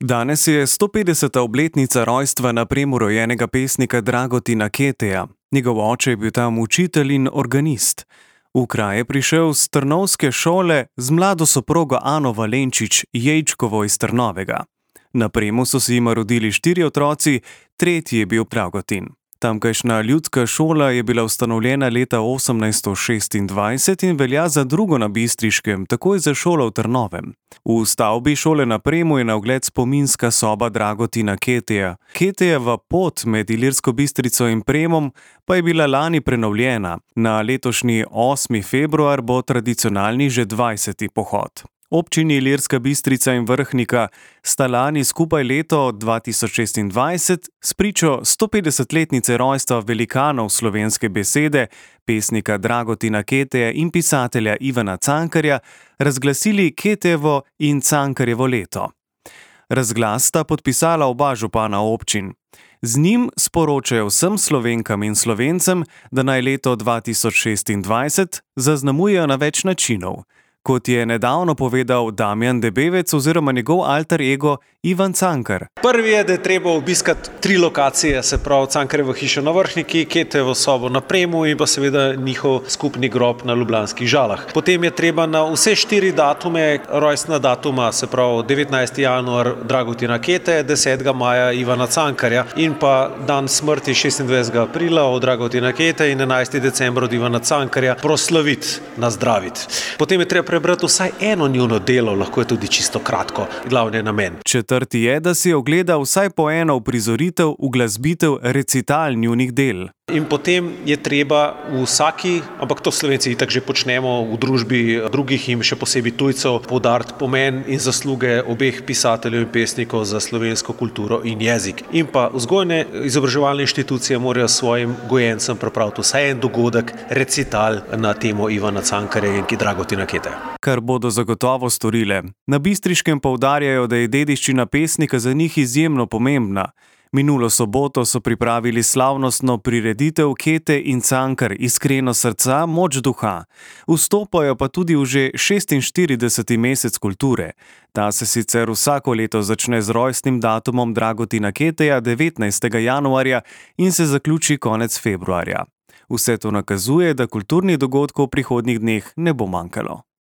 Danes je 150. obletnica rojstva na Premu rojenega pesnika Dragotina Keteja. Njegov oče je bil tam učitelj in organist. V kraj je prišel z trnovske šole z mlado soprogo Ano Valenčič Jejčkovo iz Trnovega. Na Premu so se jima rodili 4 otroci, tretji je bil Dragotin. Tamkajšnja ljudska šola je bila ustanovljena leta 1826 in velja za drugo na Bistriškem, takoj za šolo v Trnovem. V stavbi šole na Premu je na ogled spominska soba Dragotina Keteja. Ketejeva pot med Ilirsko Bistrico in Premom pa je bila lani prenovljena. Na letošnji 8. februar bo tradicionalni že 20. pohod. Občini Ilirska Bistrica in Vrhnika sta lani skupaj leto 2026 spričo 150-letnice rojstva velikanov slovenske besede, pesnika Dragotina Keteja in pisatelja Ivana Cankarja, razglasili Ketejevo in Cankarjevo leto. Razglas sta podpisala oba župana občin. Z njim sporočajo vsem Slovenkam in Slovencem, da naj leto 2026 zaznamujejo na več načinov. Kot je nedavno povedal Damjan Debevec oziroma njegov alter ego Ivan Cankar. Prvi je, da je treba obiskati 3 lokacije, se pravi Cankarjevo hišo na Vrhniki, Ketejevo sobo na Premu in pa seveda njihov skupni grob na Ljubljanskih Žalah. Potem je treba na vse 4 datume, rojstna datuma, se pravi 19. januar Dragotina Keteja, 10. maja Ivana Cankarja in pa dan smrti 26. aprila od Dragotina Keteja in 11. decembra od Ivana Cankarja proslaviti, nazdraviti. Potem je treba prebrati vsaj eno njuno delo, lahko je tudi čisto kratko, glavni namen. Četrti je, da si ogleda vsaj po eno uprizoritev, uglasbitev, recital njunih del. In potem je treba v vsaki, ampak to Slovenci itak že počnemo v družbi drugih in še posebej tujcev, poudariti pomen in zasluge obeh pisateljev in pesnikov za slovensko kulturo in jezik. In pa vzgojne izobraževalne inštitucije morajo svojim gojencem pripraviti vsaj en dogodek, recital na temo Ivana Cankarja in Dragotina Keteja. Kar bodo zagotovo storile. Na Bistriškem poudarjajo, da je dediščina pesnika za njih izjemno pomembna. Minulo soboto so pripravili slavnostno prireditev Kete in Cankar, iskreno srca, moč duha. Vstopajo pa tudi v že 46. mesec kulture. Ta se sicer vsako leto začne z rojstnim datumom Dragotina Keteja 19. januarja in se zaključi konec februarja. Vse to nakazuje, da kulturnih dogodkov v prihodnjih dneh ne bo manjkalo.